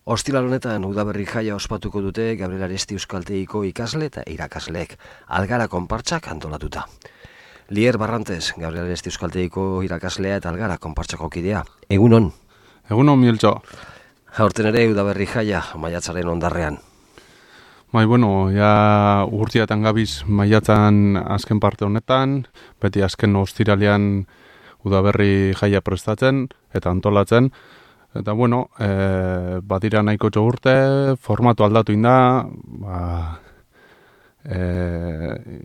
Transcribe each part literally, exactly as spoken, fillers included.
Ostiral honetan udaberri jaia ospatuko dute Gabriel Aresti Euskaltegiko ikasle eta irakasleek Algara konpartsak antolatuta. Lier Barrantes, Gabriel Aresti Euskaltegiko irakaslea eta Algara konpartsako kidea. Egunon. Egunon, Mieltxo. Aurten ere udaberri jaia maiatzaren ondarrean. Bai, bueno, ja urtiatan gabiz maiatzan azken parte honetan, beti azken ostiralean udaberri jaia prestatzen eta antolatzen. Eta bueno, e, badira nahiko urte, formatu aldatu inda, ba, e,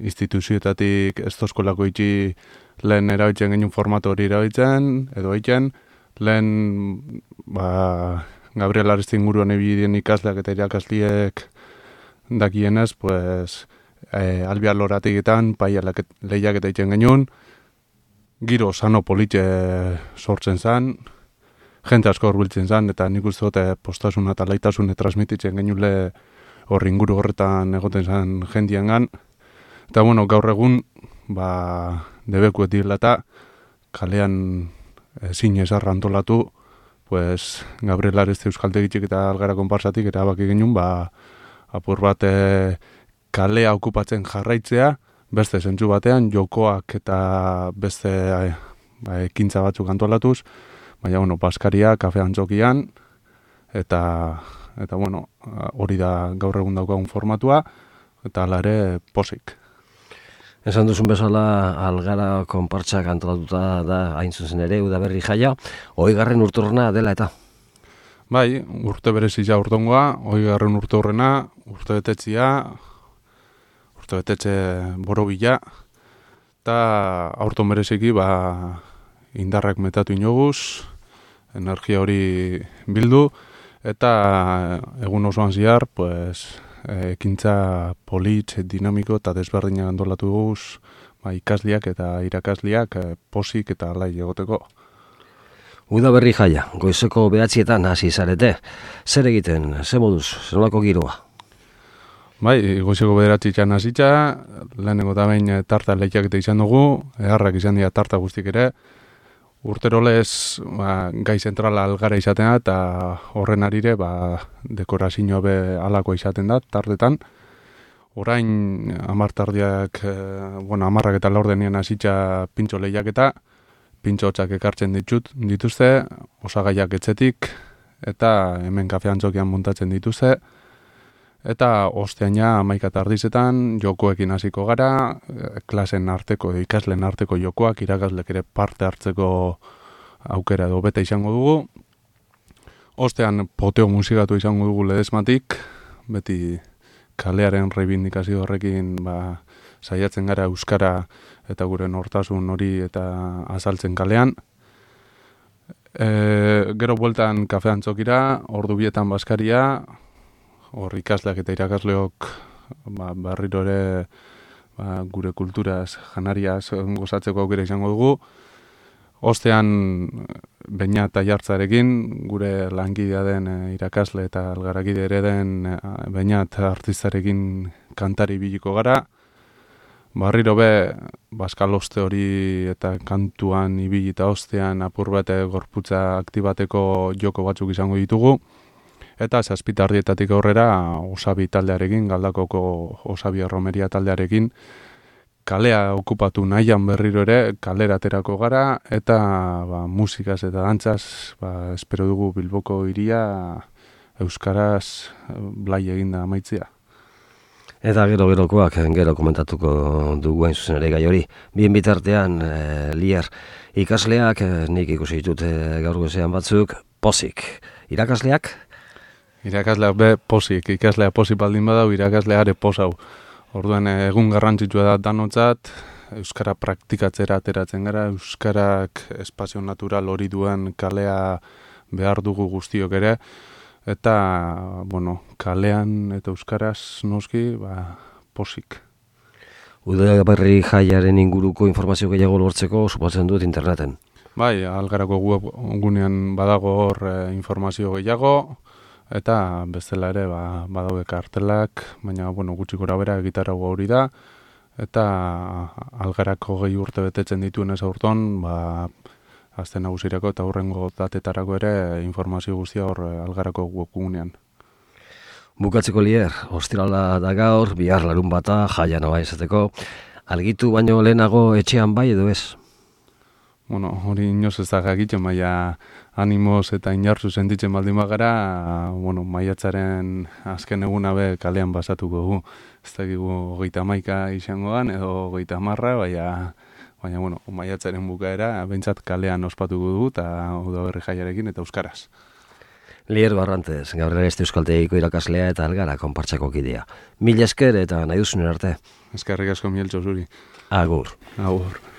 instituzioetatik ez tozkolako itxi lehen erabiltzen genuen formatu hori erabiltzen, edo egiten, lehen ba, Gabriel Aresti inguruan ebidien ikasleak eta irakasliek dakienez, pues, e, albia loratiketan, paia lehiak eta egiten genuen, giro sano politxe sortzen zen, jente asko horbiltzen zen, eta nik uste dute postasuna eta laitasune transmititzen genule horri inguru horretan egoten zen jendiengan. Eta bueno, gaur egun, ba, debekuet direla eta kalean ezin esarra antolatu, pues, Gabriel Aresti Euskaltegitxik eta Algara konpartsatik erabaki genuen, ba, apur bat e, kalea okupatzen jarraitzea, beste zentzu batean, jokoak eta beste e, ba, ekintza batzuk antolatuz, baina, bueno, Baskaria, kafe antzokian, eta, eta bueno, hori da gaur egun daukagun formatua, eta hala ere posik. Esan duzun bezala, Algara konpartsak antolatuta da hain zuzen ere udaberri jaia, hogeigarren urteurrena dela eta? Bai, urte berezia urtongoa, hogeigarren urte horrena, urte betetzia, urte betetze borobila, eta aurton bereziki, ba, indarrak metatu inoguz, energia hori bildu, eta egun osoan ziar, pues, ekintza politz, dinamiko eta desberdinak antolatu guz, ba, ikasliak eta irakasliak posik eta alai egoteko. Udaberri jaia, goizeko behatzietan hasi zarete. Zer egiten, ze moduz, zer nolako giroa? Bai, goizeko bederatzietan hasitza, lehenengo eta behin tarta lehiak eta izan dugu, eharrak izan dira tarta guztik ere, urterolez ba, gai zentrala Algara izaten da, eta horren arire ba, dekorazioa be alako izaten da, tartetan. Orain amartardiak, eh, bueno, amarrak eta laurdenien hasitza pintxo lehiak eta pintxo hotxak ekartzen ditut, dituzte, osagaiak etxetik, eta hemen kafe antzokian montatzen dituzte. Eta ostean ja hamaika tardizetan jokoekin hasiko gara, klasen arteko, ikasleen arteko jokoak, irakaslek ere parte hartzeko aukera edo bete izango dugu. Ostean poteo musikatu izango dugu ledesmatik, beti kalearen reibindikazio horrekin ba, saiatzen gara euskara eta gure nortasun hori eta azaltzen kalean. E, gero bueltan kafe antzokira, ordu bietan Baskaria, hor ikasleak eta irakasleok ba, berriro ere ba, gure kulturaz, janariaz gozatzeko aukera izango dugu. Ostean Beñat eta Jartzarekin, gure langidea den e, irakasle eta algarakide ere den e, Beñat artistarekin kantari biliko gara. Barriro be, baskaloste hori eta kantuan ibili eta ostean apur bate gorputza aktibateko joko batzuk izango ditugu. Eta zazpitardietatik aurrera Osabi taldearekin, Galdakoko Osabi Erromeria taldearekin, kalea okupatu nahian berriro ere, kalera aterako gara, eta ba, musikaz eta dantzaz, ba, espero dugu Bilboko hiria euskaraz blai eginda amaitzea. Eta gero-gerokoak gero komentatuko dugu hain zuzen ere gai hori. Bien bitartean, e, Lier, ikasleak, e, nik ikusi ditut e, gaur goizean batzuk, posik. Irakasleak? Irakasleak be posik, ikaslea posik baldin badau, irakasleak are posau. Orduan egun garrantzitsua da danotzat, euskara praktikatzera ateratzen gara, euskarak espazio natural hori duen kalea behar dugu guztiok ere, eta, bueno, kalean eta euskaraz noski, ba, posik. Udaberri jaiaren inguruko informazio gehiago lortzeko suposatzen dut interneten. Bai, Algarako webgunean badago hor e, informazio gehiago, eta bestela ere ba, badaude kartelak, baina bueno, gutxi gora bera gitarragoa hori da, eta Algarako gehi urte betetzen dituen ez aurton, ba, aste nagusirako eta hurrengo datetarako ere informazio guztia hor Algarako webgunean. Bukatzeko Lier, ostirala da gaur, bihar larun bata, jaia noa izateko, argitu baino lehenago etxean bai edo ez? Bueno, hori inoz ez da gagiten, maia animoz eta inartzu sentitzen baldin bagara, bueno, maiatzaren azken eguna be kalean basatuko gu. Ez dakigu hogeita hamaika izangoan edo hogeita hamarra, baina, baina bueno, maiatzaren bukaera, behintzat kalean ospatuko dugu eta udaberri jaiarekin eta euskaraz. Lier Barrantes, Gabriel Aresti Euskaltegiko irakaslea eta Algara konpartsako kidea. Mil esker eta nahi duzunen arte. Eskerrik asko Mieltxo zuri. Agur. Agur.